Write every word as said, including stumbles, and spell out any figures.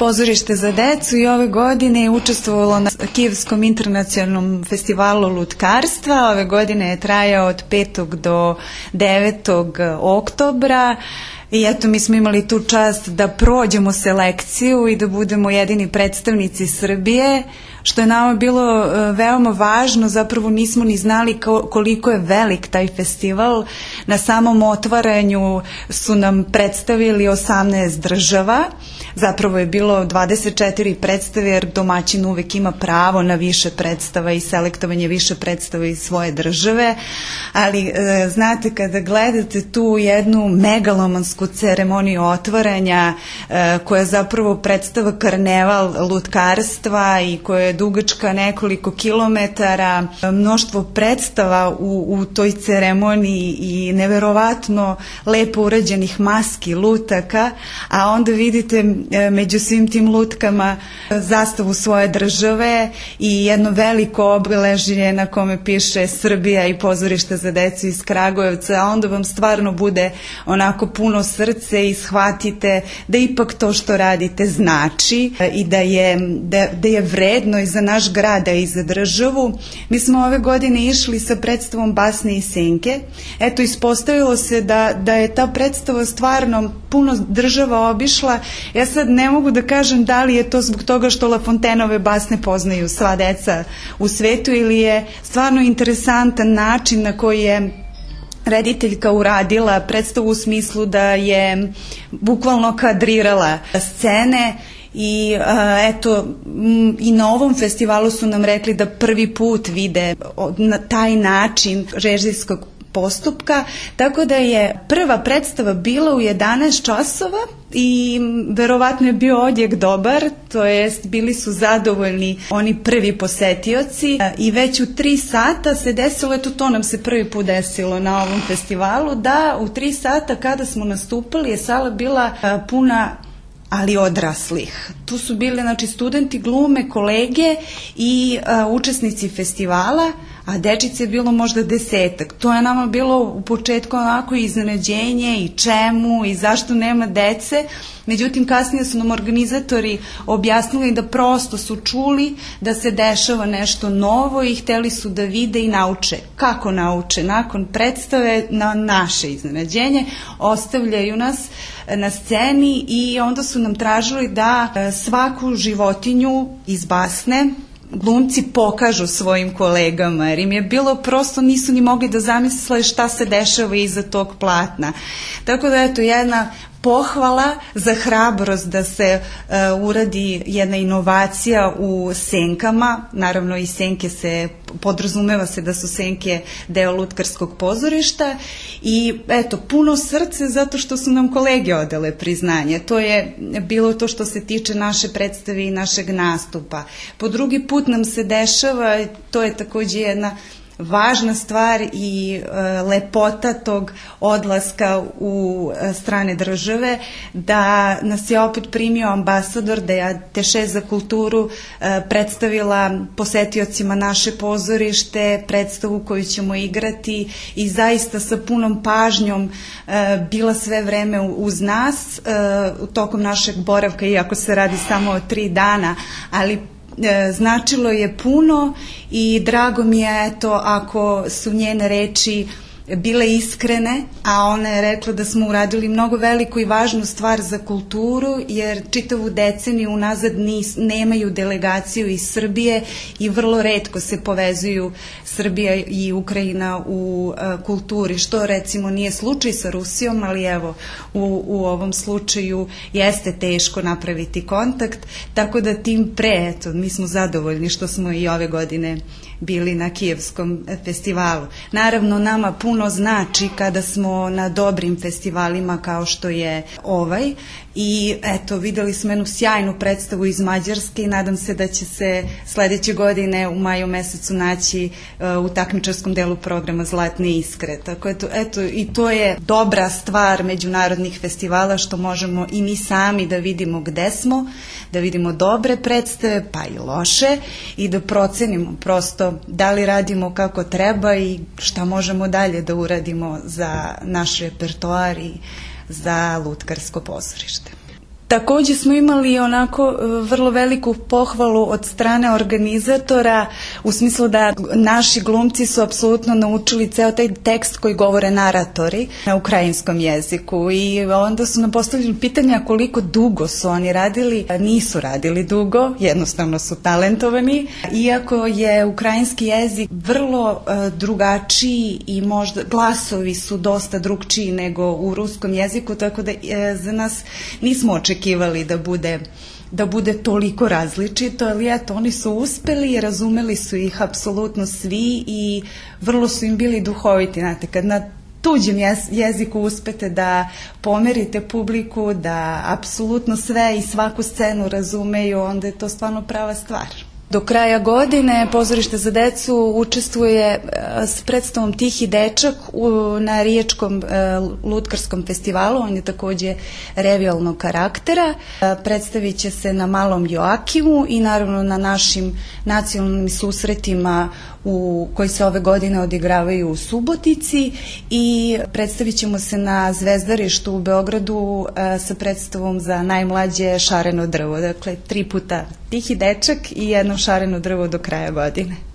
pozorište za decu i ove godine je učestvovalo na Kijevskom internacionalnom festivalu lutkarstva. Ove godine je trajao od petog do devetog oktobra. I eto, mi smo imali tu čast da prođemo selekciju i da budemo jedini predstavnici Srbije, što je nama bilo veoma važno. Zapravo nismo ni znali koliko je velik taj festival. Na samom otvaranju su nam predstavili osamnaest država. Zapravo je bilo dvadeset četiri predstave, jer domaćin uvek ima pravo na više predstava i selektovanje više predstava iz svoje države. Ali znate, kada gledate tu jednu megalomansku ceremoniju otvaranja, koja zapravo predstava karneval lutkarstva i koja je dugačka nekoliko kilometara, mnoštvo predstava u, u toj ceremoniji i neverovatno lepo urađenih maski, lutaka, a onda vidite među svim tim lutkama zastavu svoje države i jedno veliko obeležje na kome piše Srbija i pozorište za decu iz Kragujevca, a onda vam stvarno bude onako puno srce i shvatite da ipak to što radite znači i da je, da, da je vredno i za naš grad i za državu. Mi smo ove godine išli sa predstavom Basne i senke. Eto, ispostavilo se da, da je ta predstava stvarno puno država obišla. Ja sad ne mogu da kažem da li je to zbog toga što La Fontaineove basne poznaju sva deca u svetu ili je stvarno interesantan način na koji je rediteljka uradila predstavu u smislu da je bukvalno kadrirala scene. I eto, i na ovom festivalu su nam rekli da prvi put vide na taj način režijskog postupka, tako da je prva predstava bila u jedanaest časova i verovatno je bio odjek dobar, to jest bili su zadovoljni oni prvi posetioci i već u tri sata se desilo, eto to nam se prvi put desilo na ovom festivalu, da u tri sata kada smo nastupali je sala bila puna, ali odraslih. Tu su bili, znači, studenti glume, kolege i a, učesnici festivala, a dečice je bilo možda desetak. To je nama bilo u početku onako iznenađenje i čemu i zašto nema dece. Međutim, kasnije su nam organizatori objasnili da prosto su čuli da se dešava nešto novo i hteli su da vide i nauče. Kako nauče? Nakon predstave, na naše iznenađenje, ostavljaju nas na sceni i onda su nam tražili da svaku životinju iz basne glumci pokažu svojim kolegama, jer im je bilo prosto, nisu ni mogli da zamisle šta se dešava iza tog platna. Tako da, eto, jedna pohvala za hrabrost da se uh, uradi jedna inovacija u senkama. Naravno, i senke se, podrazumeva se da su senke deo lutkarskog pozorišta i eto, puno srce zato što su nam kolege odale priznanje. To je bilo to što se tiče naše predstave i našeg nastupa. Po drugi put nam se dešava, to je takođe jedna važna stvar i e, lepota tog odlaska u e, strane države, da nas je opet primio ambasador, da je Ateše za kulturu e, predstavila posetiocima naše pozorište, predstavu koju ćemo igrati i zaista sa punom pažnjom e, bila sve vreme uz nas e, u tokom našeg boravka, iako se radi samo o tri dana, ali značilo je puno i drago mi je, eto, ako su njene reči bile iskrene, a ona je rekla da smo uradili mnogo veliku i važnu stvar za kulturu, jer čitavu deceniju unazad nis, nemaju delegaciju iz Srbije i vrlo retko se povezuju Srbija i Ukrajina u uh, kulturi, što recimo nije slučaj sa Rusijom, ali evo u, u ovom slučaju jeste teško napraviti kontakt, tako da tim pre, eto, mi smo zadovoljni što smo i ove godine bili na Kijevskom festivalu. Naravno, nama puno znači kada smo na dobrim festivalima kao što je ovaj i eto, videli smo jednu sjajnu predstavu iz Mađarske i nadam se da će se sledeće godine u maju mesecu naći uh, u takmičarskom delu programa Zlatne iskre. Tako eto, eto, i to je dobra stvar međunarodnih festivala, što možemo i mi sami da vidimo gde smo, da vidimo dobre predstave pa i loše i da procenimo prosto da li radimo kako treba i šta možemo dalje da uradimo za naš repertoar i za lutkarsko pozorište. Takođe smo imali onako vrlo veliku pohvalu od strane organizatora u smislu da naši glumci su apsolutno naučili ceo taj tekst koji govore naratori na ukrajinskom jeziku i onda su nam postavili pitanja koliko dugo su oni radili. Nisu radili dugo, jednostavno su talentovani, iako je ukrajinski jezik vrlo uh, drugačiji i možda glasovi su dosta drugčiji nego u ruskom jeziku, tako da uh, za nas nismo očekivali da bude da bude toliko različito, ali eto, oni su uspeli i razumeli su ih apsolutno svi i vrlo su im bili duhoviti, znate, kad na tuđem jeziku uspete da pomerite publiku, da apsolutno sve i svaku scenu razumeju, onda je to stvarno prava stvar. Do kraja godine Pozorište za decu učestvuje s predstavom Tihi dečak na Riječkom lutkarskom festivalu, on je takođe revijalnog karaktera. Predstavit će se na Malom Joakimu i naravno na našim nacionalnim susretima u, koji se ove godine odigravaju u Subotici i predstavit ćemo se na Zvezdarištu u Beogradu sa predstavom za najmlađe Šareno drvo. Dakle, tri puta Tihi dečak i jedno Šareno drvo do kraja godine.